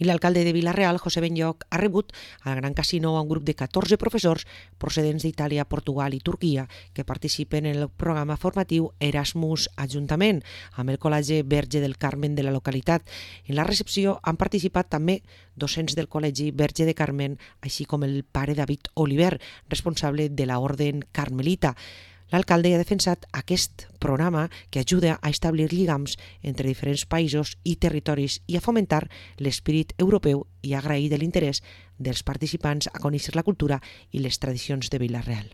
I l'alcalde de Vila-real, José Benlloch, ha rebut al Gran Casino a un grup de 14 professors procedents d'Itàlia, Portugal i Turquia que participen en el programa formatiu Erasmus Ajuntament amb el Col·legi Verge del Carmen de la localitat. En la recepció han participat també docents del Col·legi Verge de Carmen, així com el pare David Oliver, responsable de la Orden Carmelita. L'alcalde ha defensat aquest programa que ajuda a establir lligams entre diferents països i territoris i a fomentar l'espírit europeu i a agrair de l'interès dels participants a conèixer la cultura i les tradicions de Vila-real.